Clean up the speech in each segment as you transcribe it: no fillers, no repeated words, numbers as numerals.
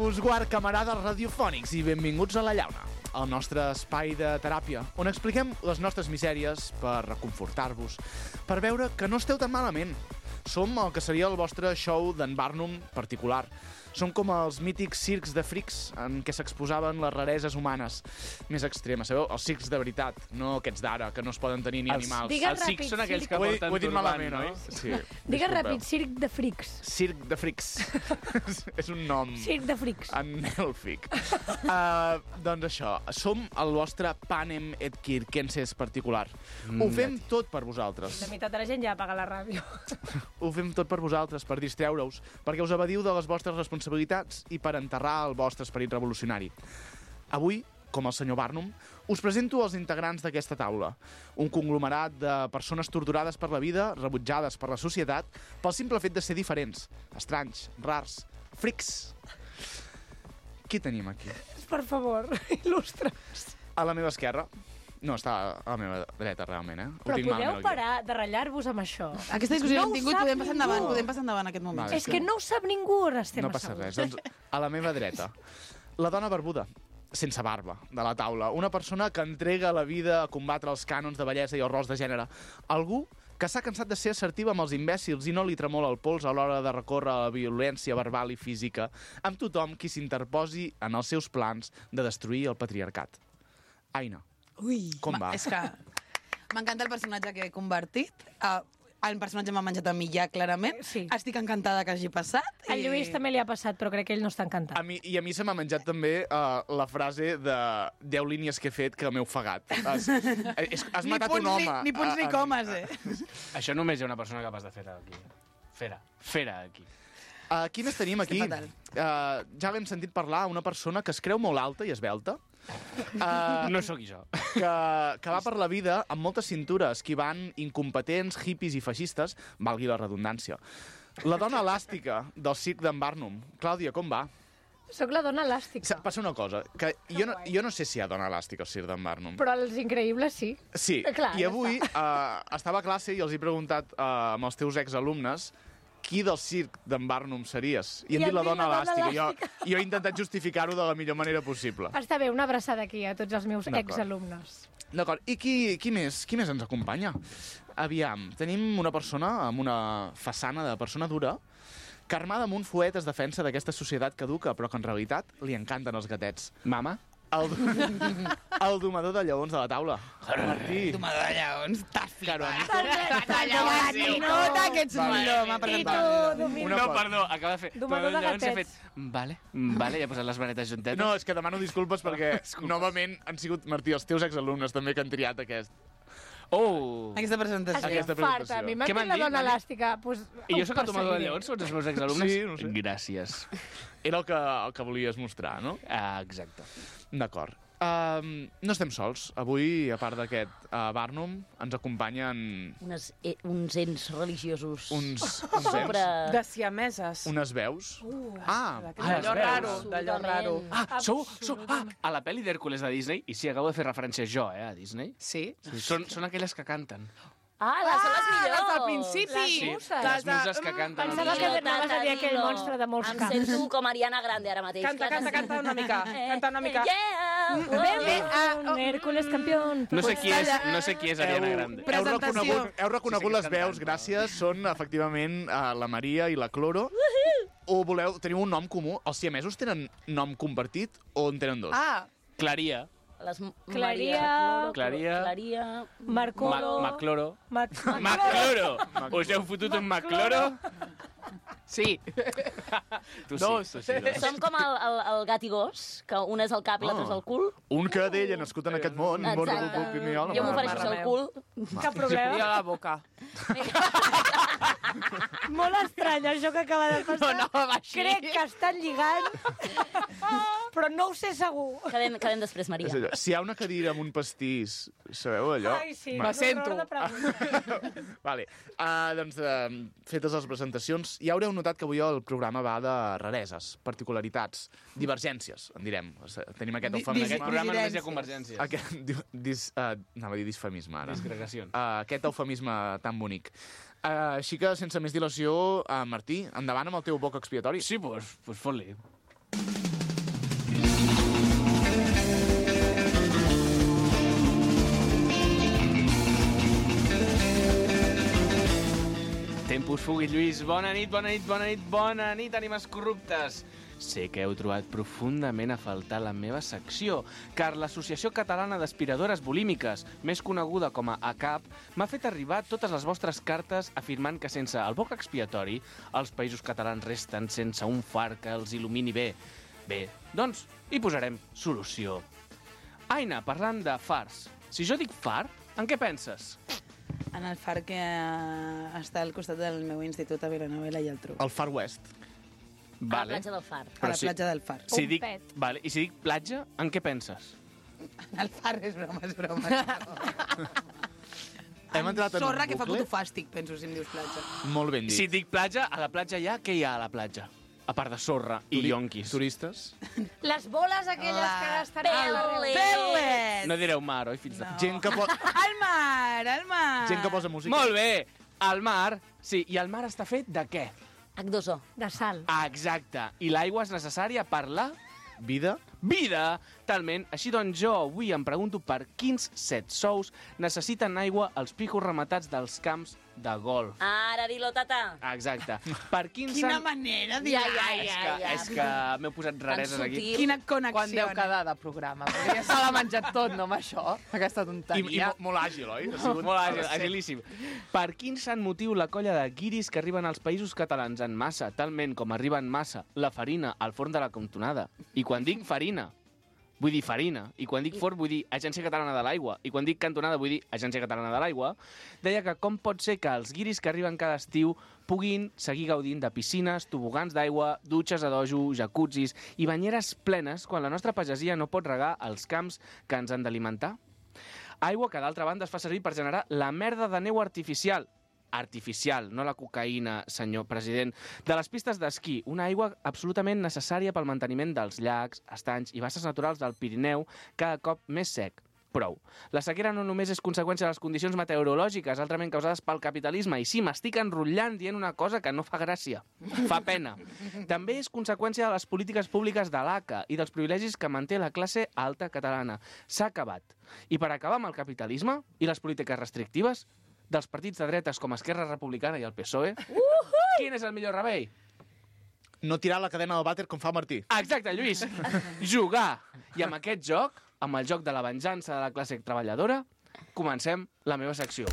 Nusguard, camarades radiofònics, i benvinguts a La Llauna, el nostre espai de teràpia, on expliquem les nostres misèries per reconfortar-vos, per veure que no esteu tan malament. Som el que seria el vostre show d'en Barnum particular. Som com els mítics circs de frics en què s'exposaven les rareses humanes més extremes. Sabeu? Els circs de veritat, no aquests d'ara, que no es poden tenir ni animals. Els circs són aquells que porten ho he dit malament, no? oi? Sí. Digues ràpid, circ de frics. Circ de frics. És un nom... Circ de frics. Anèlfic. Doncs això, som el vostre Panem et Circenses particular. Ho fem tot per vosaltres. La meitat de la gent ja apaga la ràdio. Ho fem tot per vosaltres, per distreure-us, perquè us evadiu de les vostres responsabilitats i per enterrar el vostre esperit revolucionari. Avui, com el senyor Barnum, us presento els integrants d'aquesta taula. Un conglomerat de persones torturades per la vida, rebutjades per la societat, pel simple fet de ser diferents, estranys, rars, frics. Qui tenim aquí? Per favor, il·lustra'ns. A la meva esquerra. No, està a la meva dreta, realment, eh? Però podeu parar de ratllar-vos amb això. Aquesta discussió No l'hem tingut, ho sap podem passar endavant aquest moment. Vale. És que no ho sap ningú, on estem No passa res. asseguts. Doncs a la meva dreta, la dona barbuda, sense barba, de la taula. Una persona que entrega la vida a combatre els cànons de bellesa i els rols de gènere. Algú que s'ha cansat de ser assertiva amb els imbècils i no li tremola el pols a l'hora de recórrer a la violència verbal i física amb tothom qui s'interposi en els seus plans de destruir el patriarcat. Aina, Ui, com va? És que m'encanta el personatge que he convertit. El personatge m'ha menjat a mi ja, clarament. Sí. Estic encantada que hagi passat. Al Lluís també li ha passat, però crec que ell no està encantat. A mi se m'ha menjat també la frase de 10 línies que he fet que m'he ofegat. Has matat un home. Ni punts ni comes, Això només hi ha una persona capaç de fer-ho aquí. Fer-ho aquí. Qui més tenim aquí? fatal. Ja l'hem sentit parlar, una persona que es creu molt alta i esbelta, No sóc jo. que va per la vida amb moltes cintures, esquivant incompetents, hippies i feixistes, valgui la redundància. La dona elàstica del circ d'en Barnum. Clàudia, com va? Sóc la dona elàstica. Passa una cosa, que jo no sé si hi ha dona elàstica al circ d'en Barnum. Però els increïbles sí. Sí, Clar, i ja avui estava a classe i els he preguntat amb els teus exalumnes qui del circ d'en Barnum series? I em dit la dona elàstica. Jo he intentat justificar-ho de la millor manera possible. Està bé, una abraçada aquí a tots els meus D'acord. exalumnes. D'acord, i qui més ens acompanya? Aviam, tenim una persona amb una façana de persona dura que armada amb un fuet es defensa d'aquesta societat caduca, però que en realitat li encanten els gatets. Mama? El domador de lleons de la taula. Martí. Domador de lleons, t'has flipat. Nota que ets un millor, m'ha I presentat. tu, domina. No, perdó, acaba de fer... Domador de Llavors he gatets. fet... Vale, i ha posat les manetes juntetes. No, és que demano disculpes perquè novament han sigut, Martí, els teus exalumnes també que han triat aquest. Oh! Aquesta presentació. Estic Aquesta farta. presentació. A mi m'ha Què dit m'han la dit? dona elàstica. Pues, I jo sóc el tomador de perseguiré. lleons, són els meus exalumnes? Sí, no sé. Gràcies. Era el que volies mostrar, no? Exacte. D'acord. No estem sols. Avui, a part d'aquest Barnum, ens acompanyen uns ens religiosos uns sobre... De siameses. unes veus. D'allò raro, d'allò raro. Sou... A la pel·li d'Hèrcules de Disney, i sí, acabo de fer referència jo, a Disney, Sí? són aquelles que canten. Són les millors! les del principi! Les muses. Les muses que canten. Pensava que anaves a dir aquell monstre de molts Em camps. sento com Ariana Grande ara mateix. Canta una mica. Canta una mica. Yeah! Un Hércules campión. No sé qui és Ariana Grande. Presentació. Heu reconegut les veus, gràcies. Són, efectivament, la Maria i la Cloro. O teniu un nom comú? Els siamesos tenen nom compartit o en tenen dos? Claria. Claria. Claria. Marcolo. Macloro. Macloro. Macloro! Us heu fotut un Macloro? Sí. Tu sí. Som com el gat i gos, que un és el cap i l'altre és el cul. Un cadell nascut en aquest món. Exacte. Jo m'ofereixo ser el cul. Cap problema. la boca. Molt estrany, això que acaba de passar. No, va així. Crec que estan lligant, però no ho sé segur. Quedem després, Maria. És allò. Si hi ha una cadira amb un pastís, sabeu allò? Ai, sí. Me sento. Un horror de pregunta. Vale. Doncs, fetes les presentacions, ja haureu notat que avui el programa va de rareses, particularitats, divergències, en direm. Tenim aquest eufemisme. Aquest programa només hi ha convergència. Anava a dir disfemisme, ara. Disgregació. Aquest eufemisme tan bonic. Així que, sense més dilació, Martí, endavant amb el teu boc expiatori. Sí, doncs fot-li. Puigfugit, Lluís. Bona nit, bona nit, bona nit, bona nit, ànimes corruptes. Sé que heu trobat profundament a faltar la meva secció, car l'Associació Catalana d'Aspiradores Bulímiques, més coneguda com a ACAP, m'ha fet arribar totes les vostres cartes afirmant que sense el boc expiatori els països catalans resten sense un far que els il·lumini bé. Bé, doncs hi posarem solució. Aina, parlant de fars. Si jo dic far, en què penses? En el far que està al costat del meu institut a Vilanova i la Geltrú. El Far West. A la platja del Far. A la platja del Far. Si Un dic, pet. vale, I si dic platja, en què penses? El Far és broma, és broma. Hem entrat en un Sorra que fa bucle. puto fàstic, penso, si em dius platja. Molt ben dit. Si dic platja, a la platja què hi ha a la platja? A part de sorra i yonquis. Turistes. Les boles aquelles que estan a l'arrel. Pelet! No direu mar, oi, fills de... No. Gent que, Al mar, al mar! gent que posa música. Molt bé! El mar, sí, i el mar està fet de què? H2O. De sal. Ah, exacte. I l'aigua és necessària per la Vida. vida. Talment. Així doncs jo avui em pregunto per quins 7 sous necessiten aigua els pijos rematats dels camps de golf. Ara dilo, tata. Exacte. Per quins Quina manera, dir. És que m'heu posat rareses aquí. sutil. Quina Quan connexió. deu quedar de programa? Perquè ja se l'ha menjat tot, no, amb això? Aquesta I tonteria. molt àgil, oi? Ha Molt àgil, agilíssim. Per quin sant motiu la colla de guiris que arriben als països catalans en massa, talment com arriba en massa la farina al forn de la cantonada? I quan dic farina, vull dir farina. I quan dic forn, vull dir Agència Catalana de l'Aigua. I quan dic cantonada, vull dir Agència Catalana de l'Aigua. Deia que com pot ser que els guiris que arriben cada estiu puguin seguir gaudint de piscines, tobogans d'aigua, dutxes a dojo, jacuzzis i banyeres plenes quan la nostra pagesia no pot regar els camps que ens han d'alimentar? Aigua que, d'altra banda, es fa servir per generar la merda de neu artificial. Artificial, no la cocaïna, senyor president. De les pistes d'esquí, una aigua absolutament necessària pel manteniment dels llacs, estanys i basses naturals del Pirineu, cada cop més sec. Prou. La sequera no només és conseqüència de les condicions meteorològiques altrament causades pel capitalisme, i sí, m'estic enrotllant dient una cosa que no fa gràcia. Fa pena. També és conseqüència de les polítiques públiques de l'ACA i dels privilegis que manté la classe alta catalana. S'ha acabat. I per acabar amb el capitalisme i les polítiques restrictives dels partits de dretes com Esquerra Republicana i el PSOE, quin és el millor remei? No tirar la cadena del vàter com fa Martí. Exacte, Lluís. Jugar. I amb aquest joc, amb el joc de la venjança de la classe treballadora, comencem la meva secció.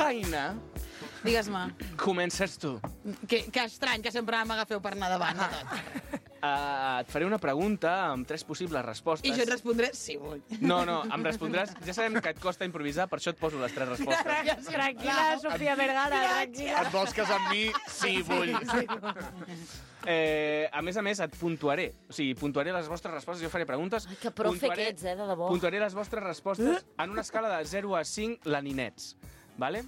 Aina, Digues-me, comences tu. que estrany que sempre m'agafeu per anar davant de tot. Et faré una pregunta amb 3 possibles respostes. I jo et respondré sí, vull. No, em respondràs... Ja sabem que et costa improvisar, per això et poso les 3 respostes. Tranquil·la, Sofia Vergara, tranquil·la. Et vols casar amb mi? Sí, vull. A més, et puntuaré. O sigui, puntuaré les vostres respostes. Jo faré preguntes. Ai, que profe que ets, de debò. Puntuaré les vostres respostes en una escala de 0 a 5 laninets. Vale?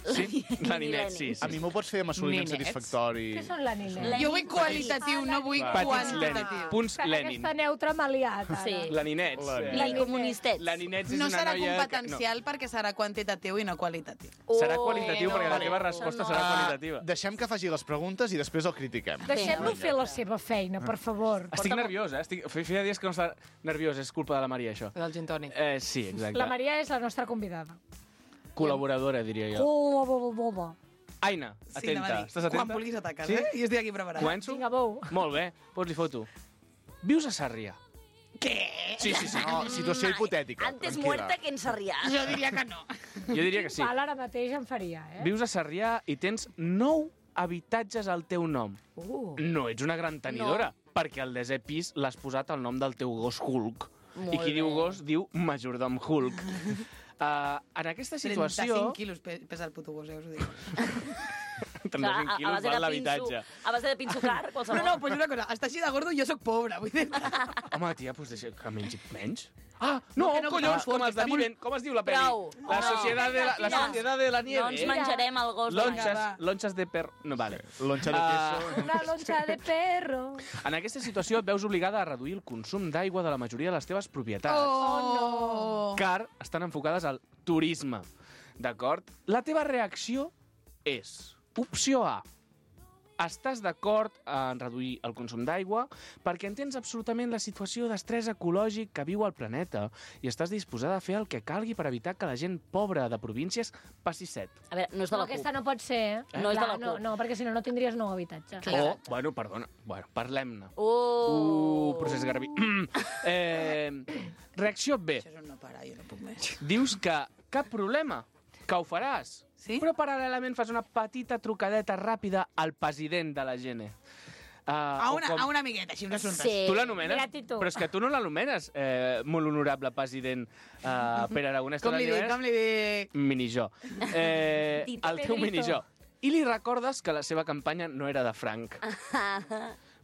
Sí? Laninets, sí. A mi m'ho pots fer amb assoliment Ninets. satisfactori. Què són la nina? Jo vull qualitatiu, no vull Petits Lenin. quantitatiu. Punts Lenin. Aquesta neutra m'ha liat, ara. Sí. Laninets. I comunistets. Laninets és No una serà noia... competencial perquè serà quantitatiu i no qualitatiu. Serà qualitatiu perquè la vale. teva resposta serà qualitativa. Deixem que faci les preguntes i després el critiquem. Deixem-lo fer la seva feina, per favor. Estic nerviós, Feia dies que no està nerviós. És culpa de la Maria, això. Del gin tònic. Sí, exacte. La Maria és la nostra convidada. Col·laboradora, diria jo. Oh, Aina, Sí, anava a atenta. dir, Estàs atenta? Quan vulguis ataques, Sí? Jo estic aquí preparat. Començo? Vinga, bou. Molt bé, pots-hi foto. Vius a Sarrià? Què? Sí. No, situació hipotètica. Antes tranquil·la. muerta que ensarrià. Jo diria que no. Jo diria que sí. Val, ara mateix em faria, eh? Vius a Sarrià i tens 9 habitatges al teu nom. No ets una gran tenidora, perquè al 10è pis l'has posat al nom del teu gos Hulk. I qui diu gos diu majordom Hulk. En aquesta situació... 35 quilos pesa el puto gos, us ho dic. 35 quilos val l'habitatge. A base de pinsucar, qualsevol. No, pues una cosa, està així de gordo i jo sóc pobre, vull dir. Home, tia, doncs deixa que mengi menys. Ah, no, que no, collons, que com no, els de està molt- Viven. Com es diu la pel·li? Prou. La No. societat de la No nieve. ens menjarem el gos de la Lonxes, va. lonxes de perro... No, vale. Lonxa de queso. Una lonxa de perro. En aquesta situació et veus obligada a reduir el consum d'aigua de la majoria de les teves propietats, Oh, car estan enfocades al turisme. D'acord? La teva reacció és, opció A, estàs d'acord en reduir el consum d'aigua perquè entens absolutament la situació d'estrès ecològic que viu el planeta i estàs disposada a fer el que calgui per evitar que la gent pobra de províncies passi set. A veure, no és de No, la CUP. aquesta no pot ser, eh? No és de la no, CUP. no, perquè si no, no tindries nou habitatge. O, bueno, perdona, parlem-ne. Procés Garbí. Reacció B. Això és un no parar, jo no puc més. Dius que cap problema, que ho faràs. Sí? Però paral·lelament fas una petita trucadeta ràpida al president de la GN. A una amigueta, així, un assumpte. Sí. Tu l'anomenes? Mira-t'hi tu. Però és que tu no l'anomenes, molt honorable president Pere Aragonès. Com li dic? Minijó. El teu Pedrito. minijó. I li recordes que la seva campanya no era de franc.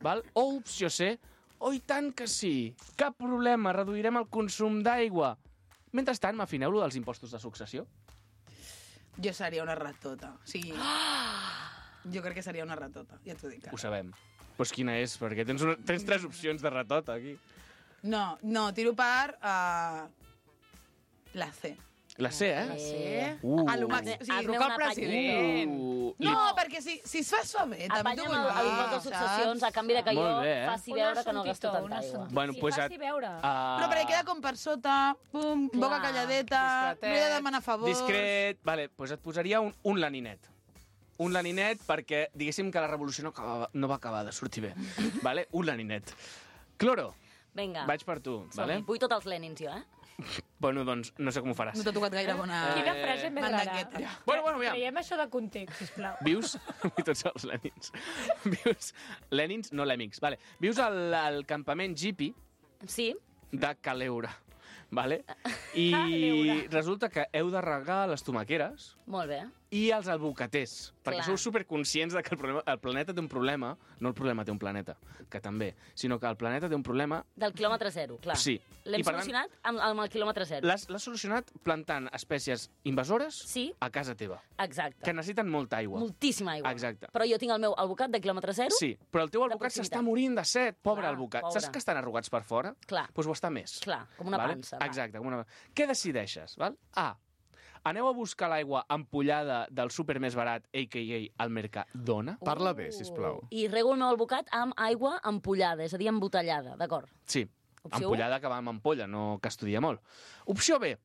Val? O opció C, oh, i tant que sí. Cap problema, reduirem el consum d'aigua. Mentrestant, m'afineu-lo dels impostos de successió? Jo seria una ratota. O sigui, jo crec que seria una ratota, ja t'ho dic. Ho sabem. Doncs quina és? Perquè tens 3 opcions de ratota, aquí. No, tiro per la C. La C, eh? La C. Uh. A lo màxim. O sigui, Hazme truca al una president. no, perquè si es fa suave, també t'ho Apanya'm vull dir, l'impost de successions a canvi de que jo Molt bé, faci Un veure que no gasto assuntito, tanta un aigua. assuntito. Bueno, Sí, pues faci veure. Però perquè queda com per sota, pum, Clar. boca calladeta, Discretet. no he de demanar favors. Discret. Vale, doncs et posaria un laninet. Un laninet perquè, diguéssim que la revolució no va acabar de sortir bé. Vale? Un laninet. Cloro, Vinga, vaig per tu. Vale? vull tots els Lenins, jo, eh? Bueno, doncs no sé com ho faràs. No t'ha tocat gaire bona... Quina frase més rara. mandangueta. Bueno, aviam. Traiem això de context, sisplau. Vius... I tots els Lenins. Vius... Lenins, no lèmings. Vale. Vius al campament Jeepy Sí, de Caleura. Vale? I Caleura. resulta que heu de regar les tomaqueres molt bé. i els albocaters, perquè Clar. sou superconscients de que el planeta té un problema, no el problema té un planeta, que també, sinó que el planeta té un problema... Del quilòmetre zero, clar. Sí. L'hem I, per tant, solucionat amb el quilòmetre zero. L'has solucionat plantant espècies invasores Sí. a casa teva, Exacte. que necessiten molta aigua. Moltíssima aigua. Exacte. Però jo tinc el meu albocat de quilòmetre zero. Sí, però el teu De albocat proximitat. s'està morint de set, pobre Clar, albocat. pobre. Saps que estan arrugats per fora? Clar. Doncs ho està més. Clar, com una pansa, va. Exacte, com una... Què decideixes? Val? A. Aneu a buscar l'aigua ampollada del súper més barat, a.k.a. el Mercadona. Parla bé, sisplau. I rego el meu albocat amb aigua ampollada, és a dir, embotellada, d'acord? Sí, Opció ampollada que va amb ampolla, no que estudia molt. Opció B.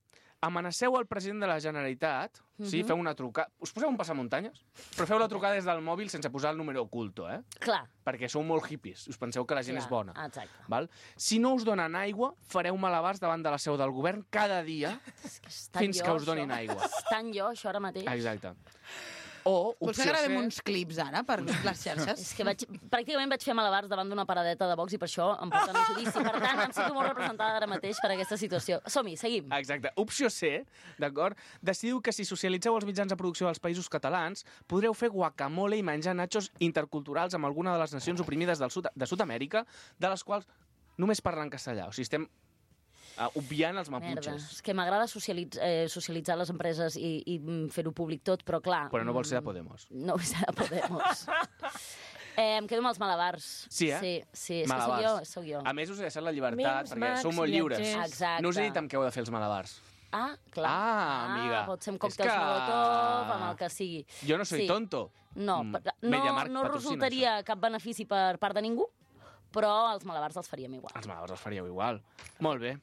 Amenaceu el president de la Generalitat, sí, feu una trucada... Us poseu un passamuntanyes? Però feu la trucada des del mòbil sense posar el número oculto, eh? Clar. Perquè sou molt hippies, us penseu que la gent clar, és bona. Exacte. Val? Si no us donen aigua, fareu malabars davant de la seu del govern cada dia És que és tan fins jo, que us donin això. aigua. És tan jo, això, ara mateix. Exacte. O, Vols opció que gravem C... uns clips ara per les xarxes? És que pràcticament vaig fer malabars davant d'una paradeta de box i per això em porten a judici. Per tant, em sento molt representada ara mateix per aquesta situació. Som-hi, seguim. Exacte. Opció C, d'acord? Decidiu que si socialitzeu els mitjans de producció dels països catalans, podreu fer guacamole i menjar nachos interculturals amb alguna de les nacions oprimides de Sud-amèrica, de les quals només parlen castellà. O sigui, estem obviant els Merda, maputxes. és que m'agrada socialitzar les empreses i fer-ho públic tot, però clar... Però no vol ser de Podemos. No vull ser de Podemos. Em quedo amb els malabars. Sí, eh? Sí, és Malabars. que sóc jo. A més, us he deixat la llibertat, Mims, perquè Max, sou molt lliures. viatgers. Exacte. No us he dit amb què heu de fer els malabars. Ah, clar. Ah, amiga. Pot ser amb És còctels que- Molotov, amb el que sigui. Jo no soy Sí. tonto. No, Mm, no, Mediamarkt no patrocina resultaria cap benefici per part de ningú, però els malabars els faríem igual. Els malabars els faríeu igual. Molt bé.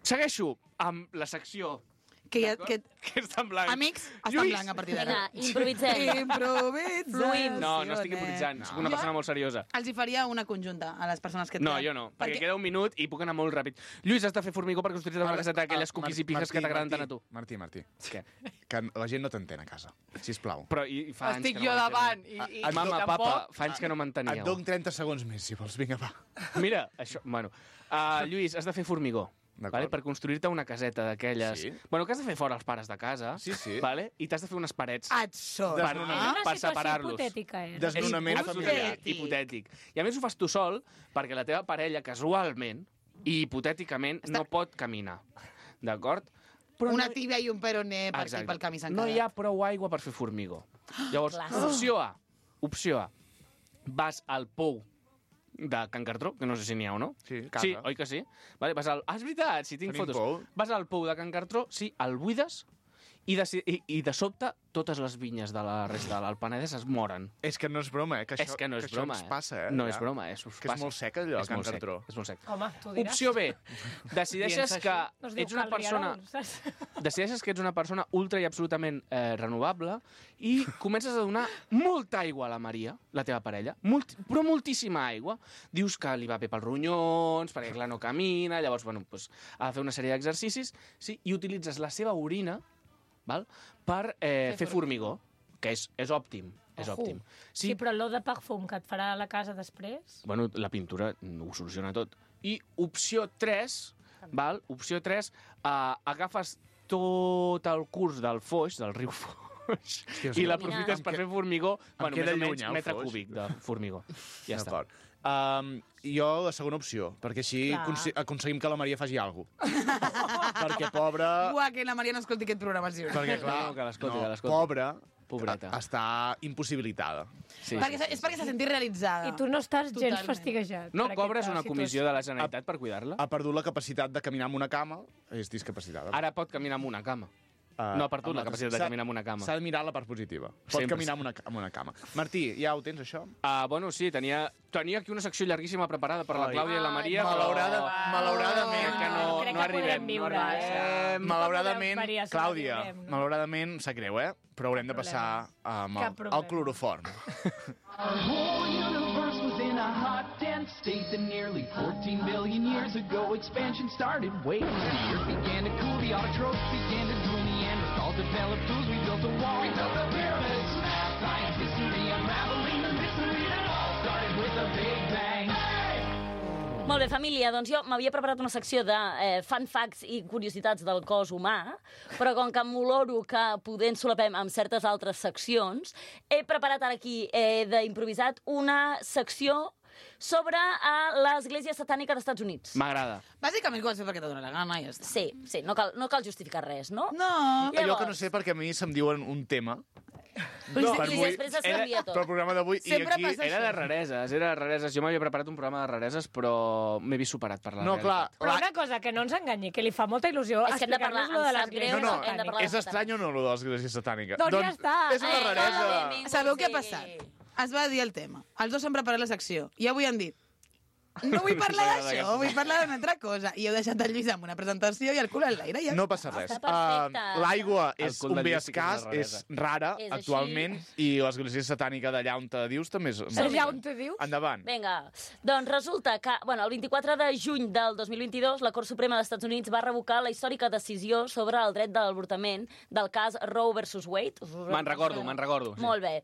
Segueixo amb la secció Que que està en blanc. Amics, està en Lluís. blanc a partir d'ara. Vinga, improvisem. Improvisem. Fluïm. No, no estic improvisant. Soc una persona molt seriosa. Els hi faria una conjunta a les persones que... No, jo no, perquè queda un minut i puc anar molt ràpid. Lluís, has de fer formigó per construir una caseta d'aquelles cookies i pijes que t'agraden tant a tu. Martí, Què? que la gent no t'entén a casa, sisplau. Però i fa anys Estic que no jo davant. m'enteniu. I Mama, tampoc... papa, fa anys que no Et m'enteníeu. dono 30 segons més, si vols. Vinga, va. Mira, això... Bueno, Lluís, has de fer formigó. D'acord. Vale? Per construir-te una caseta d'aquelles... Sí. Bueno, que has de fer fora els pares de casa. Sí, sí. Vale? I t'has de fer unes parets Et sort. per, Desnonar. És una per situació separar-los. hipotètica, eh? Desnonament familiar. Hipotètic. I a més ho fas tu sol perquè la teva parella casualment i hipotèticament no pot caminar. D'acord? Però Una tibia i un peroné per aquí Exacte. pel camí s'han No quedat. hi ha prou aigua per fer formigó. Llavors, Clàssic. opció A. Vas al pou de Can Cartró, que no sé si n'hi ha o no. Sí, casa. Sí, oi que sí? Vale, vas al... Ah, és veritat, si tinc Tenim fotos. pou. Vas al pou de Can Cartró, sí, el buides I de sobte, totes les vinyes de la resta del Penedès es moren. És que no és broma, que És que no és broma, ens passa, No és broma, us Que és passa. molt sec, allò, És Can molt sec, Cartró. és molt sec. Home, tu diràs. Opció B. Decideixes que No es diu ets una Cal persona... Rierol, saps? Decideixes que ets una persona ultra i absolutament renovable i comences a donar molta aigua a la Maria, la teva parella, però moltíssima aigua. Dius que li va bé pels ronyons, perquè clar, no camina, llavors bueno, doncs, ha de fer una sèrie d'exercicis, sí, i utilitzes la seva orina, val, per fer formigó, que és òptim. És òptim. Sí, però l'eau de perfum que et farà a la casa després... Bueno, la pintura ho soluciona tot. I opció 3, val? Opció 3, agafes tot el curs del Foix, del riu Foix, i l'aprofites per fer formigó, bueno, més o menys metre cúbic de formigó. Ja està. D'acord. Jo la segona opció, perquè així aconseguim que la Maria faci alguna cosa. Perquè pobra... Uah, que la Maria no escolti aquest programa, sí. Perquè, clar, No, que l'escolti, que l'escolti. pobra, Pobreta. està impossibilitada. Sí, És perquè s'ha sentit realitzada. I tu no estàs gens Totalment. fastiguejat. No per cobres aquesta una comissió situació. de la Generalitat per cuidar-la? Ha perdut la capacitat de caminar amb una cama, és discapacitada. Ara pot caminar amb una cama. No ha perdut la capacitat de caminar amb una cama. S'ha de mirar la part positiva. Pot Sempre. caminar amb una cama. Martí, ja ho tens, això? Bueno, sí, tenia aquí una secció llarguíssima preparada per la Ai. Clàudia i la Maria, Malauradament. que no, Crec no que arribem. podem viure, Malauradament, Maria, si Clàudia, la viurem, no? malauradament, sap greu, però haurem de passar amb Cap el problema. cloroform. Our whole universe was in a hot, dense state that nearly 14 billion years ago expansion started. Wait, the earth began to cool, the autotrophs began to drool, Neanderthals developed tools, we built a wall. We built the pyramids, math, science, history, unraveling the mystery that all started with a big bang. Molt bé, família, doncs jo m'havia preparat una secció de fun facts i curiositats del cos humà, però com que m'oloro que poder ens solapem amb certes altres seccions, he preparat ara aquí d'improvisat una secció sobre l'Església Satànica dels Estats Units. M'agrada. Bàsicament ho vas fer perquè te dóna la gana i ja està. Sí, no cal justificar res, no? No. Allò que no sé perquè a mi se'm diuen un tema. I després es canvia tot. Pel programa d'avui i Sempre aquí... passa Era de rareses, Jo m'havia preparat un programa de rareses, però m'he vist superat per la No, clar, realitat. Però una cosa, que no ens enganyi, que li fa molta il·lusió És que hem de parlar, explicar-nos lo de em sap greu, l'església No, hem de satànica. parlar. és estrany o no, lo de l'Església Satànica? Doncs ja està. És una raresa. Sabeu què ha passat? Es va dir el tema. Els dos s'han preparat la secció. I avui han dit no vull parlar d'això, vull parlar d'una altra cosa. I heu deixat el Lluís amb una presentació i el cul en l'aire. Ja No passa res. Està perfecte. L'aigua El és cul un del bé Lluís sí que és escàs, una és rara És així. actualment, i l'Església Satànica d'allà on te dius també és... Allà on te dius? Endavant. Vinga, doncs resulta que el 24 de juny del 2022 la Cort Suprema dels Estats Units va revocar la històrica decisió sobre el dret de l'avortament del cas Roe versus Wade. Me'n recordo. Sí. Molt bé.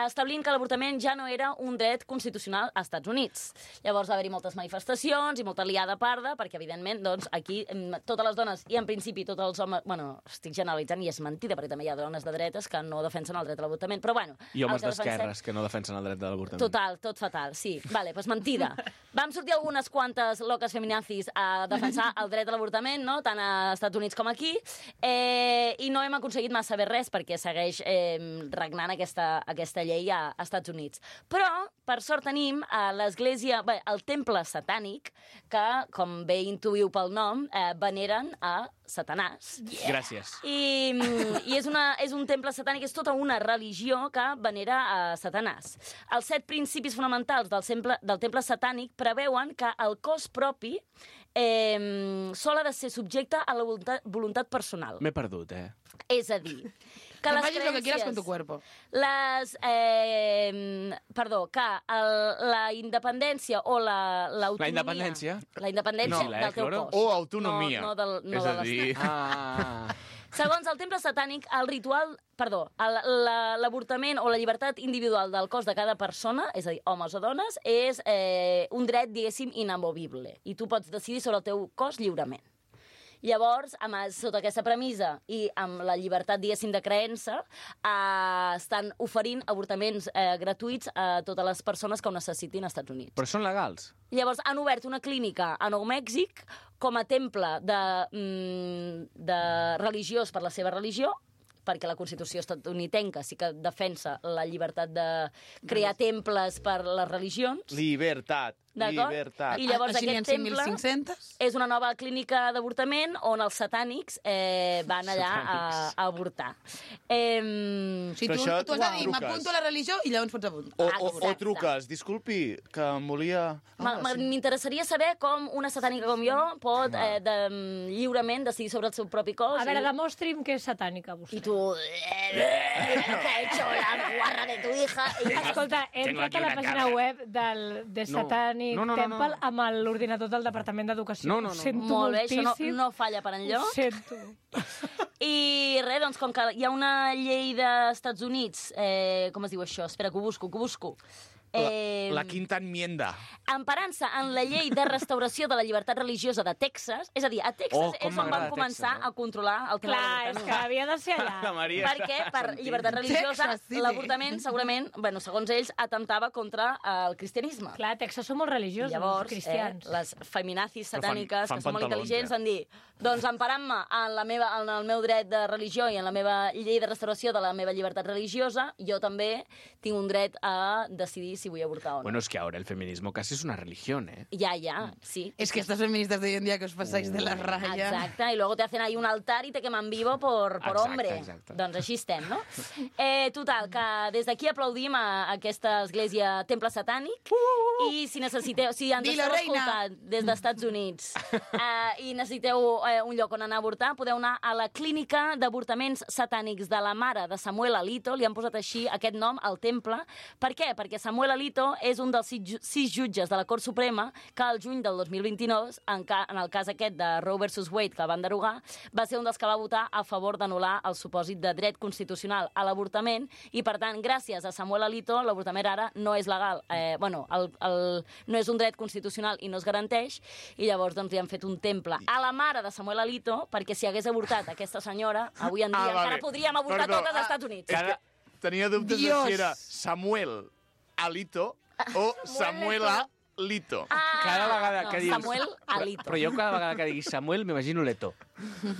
Establint que l'avortament ja no era un dret constitucional als Estats Units. Llavors va haver-hi moltes manifestacions i molta liada parda, perquè, evidentment, doncs, aquí totes les dones, i en principi tots els homes... Bueno, estic generalitzant i és mentida, perquè també hi ha dones de dretes que no defensen el dret a l'avortament, però, bueno... I homes el que defensem- d'esquerres que no defensen el dret de l'avortament. Total, tot fatal, sí. Vale, doncs mentida. Vam sortir algunes quantes loques feminazis a defensar el dret a l'avortament, no? Tant als Estats Units com aquí, i no hem aconseguit massa bé res perquè segueix regnant aquesta llei a Estats Units. Però, per sort, tenim l'església, el temple satànic, que, com bé intuïu pel nom, veneren a Satanàs. Gràcies. I és un temple satànic, és tota una religió que venera a Satanàs. Els 7 principis fonamentals del temple satànic preveuen que el cos propi sol ha de ser subjecte a la voluntat personal. M'he perdut, És a dir, que Que les facis lo que quieras con tu creences, cuerpo. la independència o l'autonomia... La independència? La independència No, del teu Cloro? cos. O autonomia. No de És a dir... Segons el temple satànic, l'avortament o la llibertat individual del cos de cada persona, és a dir, homes o dones, és un dret, diguéssim, inamovible. I tu pots decidir sobre el teu cos lliurement. Llavors, sota aquesta premissa i amb la llibertat, diguéssim, de creença, estan oferint avortaments gratuïts a totes les persones que ho necessitin als Estats Units. Però són legals? Llavors, han obert una clínica a Nou Mèxic com a temple de religiós per la seva religió, perquè la Constitució estatunidenca sí que defensa la llibertat de crear temples per les religions. Libertat. D'acord? Llibertat. I llavors Així n'hi ha aquest temple 5.500. és una nova clínica d'avortament on els satànics van allà a avortar. Si Però tu això has de dir, truques. m'apunto a la religió i llavors pots apuntar. O Exacte. truques, disculpi, que em volia... M'interessaria saber com una satànica com jo pot lliurement decidir sobre el seu propi cos. A veure, demostri'm que és satànica, vostè. I tu... ¿Qué ha hecho la guarra de tu hija? I... Escolta, he Tengo entrat aquí a la una pàgina cabra. web de No. Satanic No. Temple amb l'ordinador del Departament d'Educació. No. Ho sento Molt bé, això moltíssim. no falla per Ho enlloc. sento. I res, doncs, com que hi ha una llei d'Estats Units, com es diu això? Espera, que ho busco. La quinta enmienda. Emparant-se en la llei de restauració de la llibertat religiosa de Texas, és a dir, a Texas Oh, com és on van m'agrada començar Texas, a controlar el tema de Clar, és l'avortament. que havia de ser La allà. Maria Perquè per sentint. llibertat religiosa Texas City. l'avortament segurament, bueno, segons ells, atemptava contra el cristianisme. Clar, a Texas som molt religiosos, Llavors, cristians. les feminazis Però satàniques, fan que són molt pantalons, intel·ligents, van dir, doncs emparant-me en el meu dret de religió i en la meva llei de restauració de la meva llibertat religiosa, jo també tinc un dret a decidir si vull avortar o no. Bueno, es que ahora el feminismo casi es una religión, ¿eh? Ya, sí. Es que estas feministas de hoy en día que os pasáis de la raya. Exacte, i luego te hacen ahí un altar y te queman vivo por Exacte, hombre. exacte. Doncs així estem, no? Total, que des d'aquí aplaudim a aquesta església temple satànic i si necessiteu, si ens Dilo, esteu reina. escoltant des dels Estats Units i necessiteu un lloc on anar a avortar, podeu anar a la clínica d'avortaments satànics de la mare de Samuel Alito, li han posat així aquest nom al temple. Per què? Perquè Samuel Alito és un dels 6 jutges de la Cort Suprema que al juny del 2022, en el cas aquest de Roe versus Wade, que el van derogar, va ser un dels que va votar a favor d'anul·lar el supòsit de dret constitucional a l'avortament i, per tant, gràcies a Samuel Alito, l'avortament ara no és legal. No és un dret constitucional i no es garanteix, i llavors doncs, li han fet un temple a la mare de Samuel Alito perquè si hagués avortat aquesta senyora, avui en dia encara podríem avortar totes als Estats Units. És que tenia dubtes de Dios. si era Samuel Alito o Samuela Lito. Cada vegada no, que diguis... Samuel Alito. Però jo cada vegada que diguis Samuel m'imagino Leto.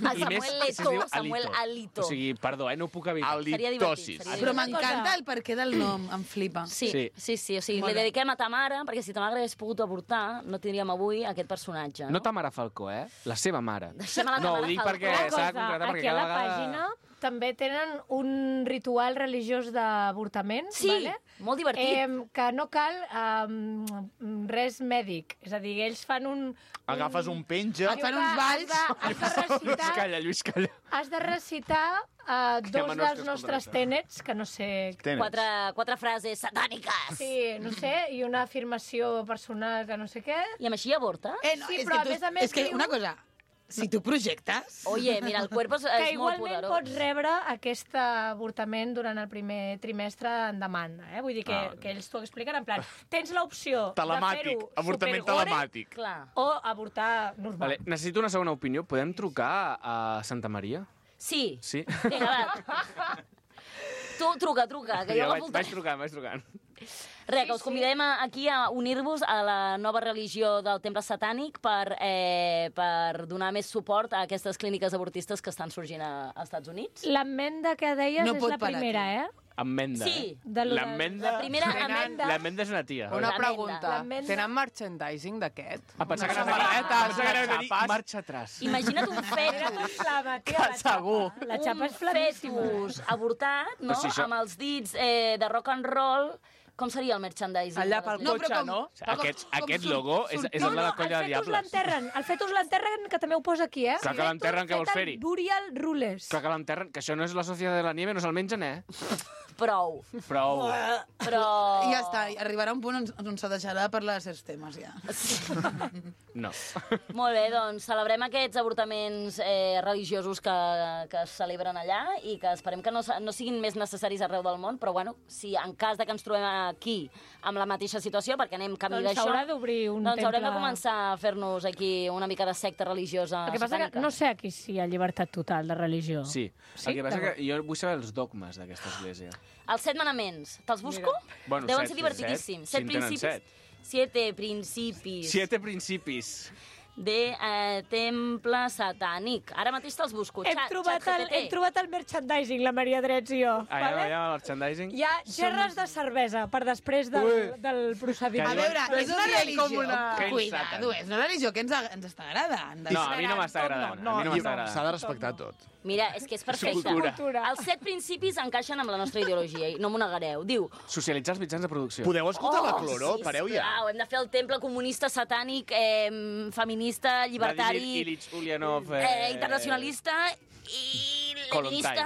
A I més Samuel si es Leto, diu Samuel Alito. O sigui, perdó, no ho puc evitar. Seria divertit, Alitosis. seria Però divertit. m'encanta el perquè del nom, em flipa. Sí. O sigui, Molt li bé. dediquem a ta mare, perquè si ta mare hagués pogut avortar, no tindríem avui aquest personatge. No Tamara Falcó, La seva mare. Deixem a la No, Tamara ho dic Falcó. perquè Una s'ha de cosa, concretar perquè aquí a cada la vegada... pàgina també tenen un ritual religiós d'avortament, Sí, vale? molt divertit. Que no cal res mèdic. És a dir, ells fan un... Agafes un penja... Et fan uns balls. Has de recitar, Lluís, calla. has de recitar dos Menors que dels nostres escolten tènets, que no sé... Quatre frases satàniques. Sí, no sé, i una afirmació personal que no sé què. I amb així avorta? No, Sí, és però que a més a més és que diu- una cosa, si tu projectes... Oye, mira, el cuerpo Que és molt igualment poderós. pots rebre aquest avortament durant el primer trimestre en demanda. Vull dir que ells t'ho expliquen en plan, tens l'opció de Telemàtic, fer-ho avortament supergore telemàtic. Clar. o avortar normal. Vale, necessito una segona opinió. Podem trucar a Santa Maria? Sí. Sí? Vinga, va. Tu truca, que jo vaig l'apuntaré. trucant. Res, que us convidem aquí a unir-vos a la nova religió del temple satànic per donar més suport a aquestes clíniques avortistes que estan sorgint als Estats Units. L'amenda que deies No és pot la parar primera, Amenda, Sí. L'amenda... La primera Tenen- amenda... L'amenda és una tia. Una Una L'amenda. pregunta. L'amenda. Tenen merchandising d'aquest? Pensar que samarretes, anaves a dir xapes. marxa atràs. Imagina't un fetus, la Segur. xapa. La xapa és un flamíssima. fetus avortat, no? Però si això- Amb els dits de rock and roll. Com seria el merchandising? Allà de les pel lleis? cotxe, com- no? Aquest logo és el de la el colla de fetus diables. l'enterren. El fetus l'enterren, que també ho posa aquí, Clar que l'enterren, què vols Fet en fer-hi? Burial Rules. Clar que l'enterren, que això no és la Societat de la Nieve, no se'l mengen, Prou. Prou. Però... I ja està, i arribarà un punt on se deixarà parlar de certs temes, ja. No. Molt bé, doncs celebrem aquests avortaments religiosos que es celebren allà i que esperem que no siguin més necessaris arreu del món, però bueno, si en cas de que ens trobem aquí amb la mateixa situació, perquè anem camí Doncs d'això, s'haurà d'obrir un doncs haurem de temple. començar a fer-nos aquí una mica de secta religiosa El que passa satànica. que no sé aquí si hi ha llibertat total de religió. Sí. Sí? El que passa D'acord. que jo vull saber els dogmes d'aquesta església. Els 7 manaments, te'ls busco? Bueno, Deuen set, ser divertidíssims. set. Si en tenen 7 principis. 7 principis. 7 principis. de temple satànic. Ara mateix te'ls busco. Hem trobat el merchandising, la Maria Drets i jo. Allà, el merchandising. Hi ha gerres de cervesa per després del procediment. A veure, és una religió... Que Cuidado, és una religió que ens està agradant. No, a mi no m'està agradant. A mi no m'està agradant. S'ha de respectar tot. Mira, és que és perfecte. Cultura. Els 7 principis encaixen amb la nostra ideologia, i no m'ho negareu. Diu... Socialitzar els mitjans de producció. Podeu escoltar la Cloro? sí, Pareu ja. sisplau, hem de fer el temple comunista, satànic, feminista, llibertari... Vladimir Ilich Ulyanov... internacionalista i leninista...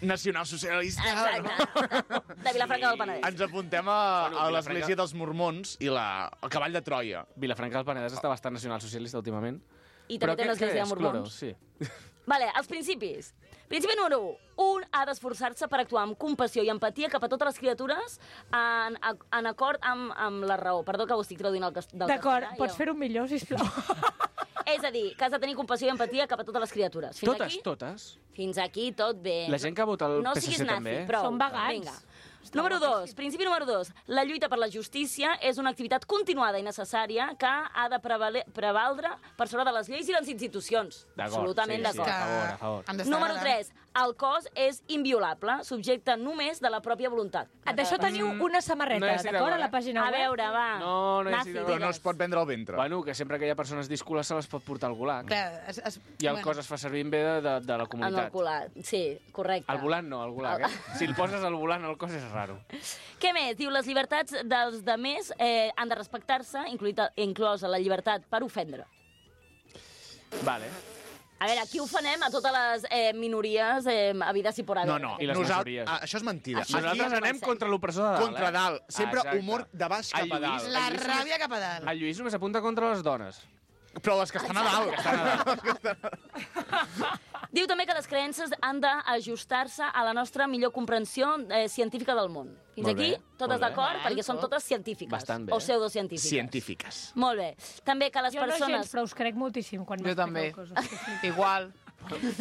Nacionalsocialista. Exacte. De Vilafranca del Penedès. Ens apuntem a l'església dels mormons i el cavall de Troia. Vilafranca del Penedès està bastant nacionalsocialista últimament. I també té l'església de Cloro? mormons. Sí. Vale, els principis. Principi número 1. Un ha d'esforçar-se per actuar amb compassió i empatia cap a totes les criatures en acord amb la raó. Perdó que ho estic traduint del castellà. D'acord, pots fer-ho millor, sisplau. És a dir, que has de tenir compassió i empatia cap a totes les criatures. Fins Totes, aquí, totes. Fins aquí tot bé. La gent que vota el no PSC siguis nazi, també. prou. Són vegans. Vinga. Número 2. Principi número 2. La lluita per la justícia és una activitat continuada i necessària que ha de prevaldre per sobre de les lleis i les institucions. Absolutament d'acord. A favor. Número 3. El cos és inviolable, subjecte només de la pròpia voluntat. D'això teniu una samarreta, No estic d'acord, a la d'acord, pàgina A web? veure, va. No hi Nazi, estic d'acord. Però no digues. es pot vendre al ventre. Bueno, que sempre que hi ha persones discules se les pot portar al gulag. Clar, I el cos es fa servir en bé de la En el comunitat. culat. Sí, correcte. Al volant no, al gulag, Si el poses al volant al cos és raro. Què més? Diu, les llibertats dels demés han de respectar-se, inclosa la llibertat per ofendre. Vale. A veure, aquí ofenem a totes les minories habides i por haver. No. I les majories. Això és mentida. Això Nosaltres anem contra l'opressor de dalt, Contra dalt. Sempre Exacte. humor de baix El cap a Lluís- dalt. La ràbia cap a dalt. El Lluís només apunta contra les dones. Però les que estan a dalt. Diu també que les creences han d'ajustar-se a la nostra millor comprensió científica del món. Fins Molt aquí, bé, totes molt bé. d'acord? Perquè són totes científiques. Bastant bé. O pseudocientífiques. Científiques. Molt bé. També que les Jo no persones... gens, però us crec moltíssim quan Jo també. m'expliqueu coses. Igual.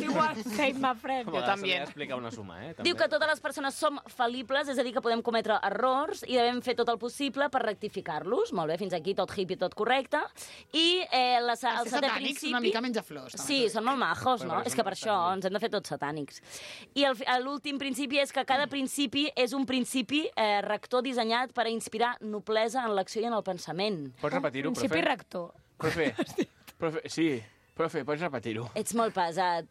Igual, same my friend. A vegades també. s'ha d'explicar una suma, També. Diu que totes les persones som fal·libles, és a dir, que podem cometre errors i devem fer tot el possible per rectificar-los. Molt bé, fins aquí tot hippie, tot correcte. I el Els setè satànics principi... una mica menja flors. Sí, són molt majos, no? Però És que per això ens hem de fer tots satànics. I l'últim principi és que cada principi és un principi rector dissenyat per a inspirar noblesa en l'acció i en el pensament. Pots repetir-ho, profe? Principi rector. Profe, sí. Profe, pots repetir-ho? Ets molt pesat.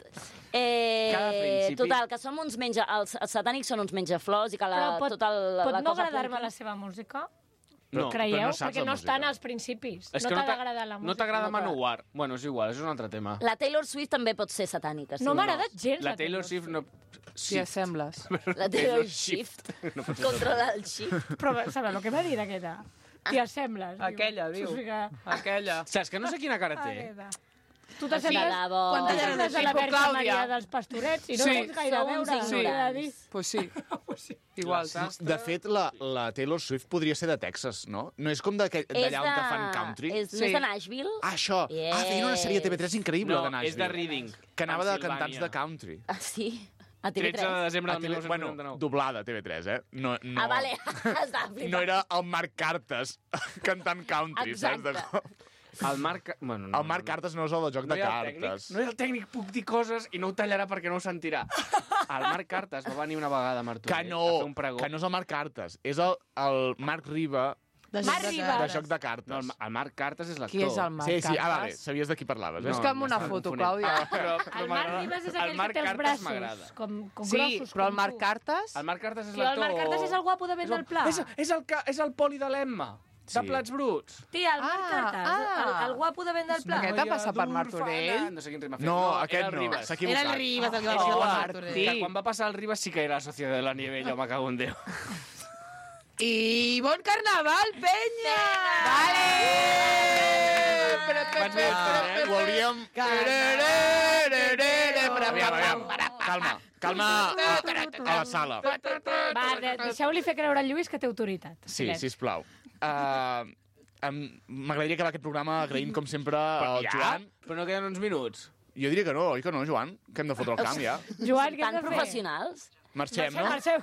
Cada principi- Total, que som uns els satànics són uns menjaflors i que Però pot la no cosa agradar-me punta. la seva música? No. Creieu? no saps Perquè la no estan música. als principis. És No que t'ha d'agradar la música. no t'agrada Manowar. Bueno, és igual, és un altre tema. La Taylor Swift també pot ser satànica. Sí. No m'ha agradat gens. La Taylor Swift no... Si assembles. La Taylor Swift. No pot ser. Controla el shift. Però, saps el que m'ha dit aquesta? T'hi assembles. diu. Aquella, diu. O sigui que... Aquella. Saps que no sé quina cara té? Aquesta. Tu De t'assembles debò. Quanta llarga t'assembles a la Tipo Verge Clàudia. Maria dels Pastorets i no Sí. tens gaire a Sou uns veure. ignorants. Què he de dir? Pues sí. Igual. De fet, la Taylor Swift podria ser de Texas, no? No és com d'allà on fan country? És Sí. de Nashville? Ah, això. Ah, feien una sèrie de TV3 increïble No, de Nashville. és de Reading. Que anava de Pennsilvània. cantants de country. Ah, sí? A 13 de TV3? desembre de Bueno, 1999. doblada, TV3, No, Ah, vale. Estava flipant. No era el Marc Cartes cantant country, saps? Exacte. El Marc... Bueno, no, El Marc Cartes no és el de joc de hi ha el cartes. tècnic, no hi ha el tècnic, puc dir coses i no ho tallarà perquè no ho sentirà. El Marc Cartes va venir una vegada a Martorell Que a no, fer un pregó. que no és el Marc Cartes, és el Marc Riba De Marc joc de Ribas. de cartes. joc de cartes. No, el Marc Cartes és l'actor. Qui és el Marc Sí, sí, vale, Cartes? sabies de qui parlaves, No, Busca'm una m'estava foto, confonent. Clàudia. Però El Marc Ribas és el aquell Marc que té els Cartes braços m'agrada. com Sí, grossos. però el com Marc tu. Cartes... El Marc Cartes és Tio, el l'actor. Marc Cartes és el guapo de vent del pla. És el poli de l'Emma, de Sí. Plats Bruts. Tia, el Marc Cartes, el guapo de vent del pla. Aquest ha passat per Martorell? No sé quin ritme ha fet. No, era aquest el no, Ribas. s'ha Era equivocat. el Ribas el que va Oh, ser el Martí. Martorell. Que quan va passar el Ribas sí que era la Societat de la Nieve, jo me cago en Déu. I bon carnaval, penya! Quants minuts tenen? Ho hauríem... Aviam. Calma a la sala. Va, deixeu-li fer creure al Lluís que té autoritat. Sí, Silenci. sisplau. M'agradaria acabar aquest programa agraint, com sempre, al Joan. Però no queden uns minuts. Jo diria que no, oi que no, Joan? Que hem de fotre el camp, ja. Joan, què Tan hem de fer? professionals. Marxem, no? Marxem.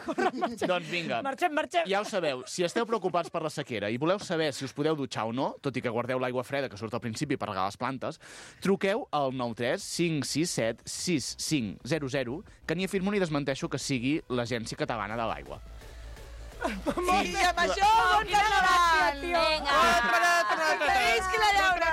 Doncs vinga. Marxem. Ja ho sabeu, si esteu preocupats per la sequera i voleu saber si us podeu dutxar o no, tot i que guardeu l'aigua freda que surt al principi per regar les plantes, truqueu al 93 567 6500, que ni afirmo ni desmenteixo que sigui l'Agència Catalana de l'Aigua. I amb això, bon carnaval! Vinga! Visqui la llauna!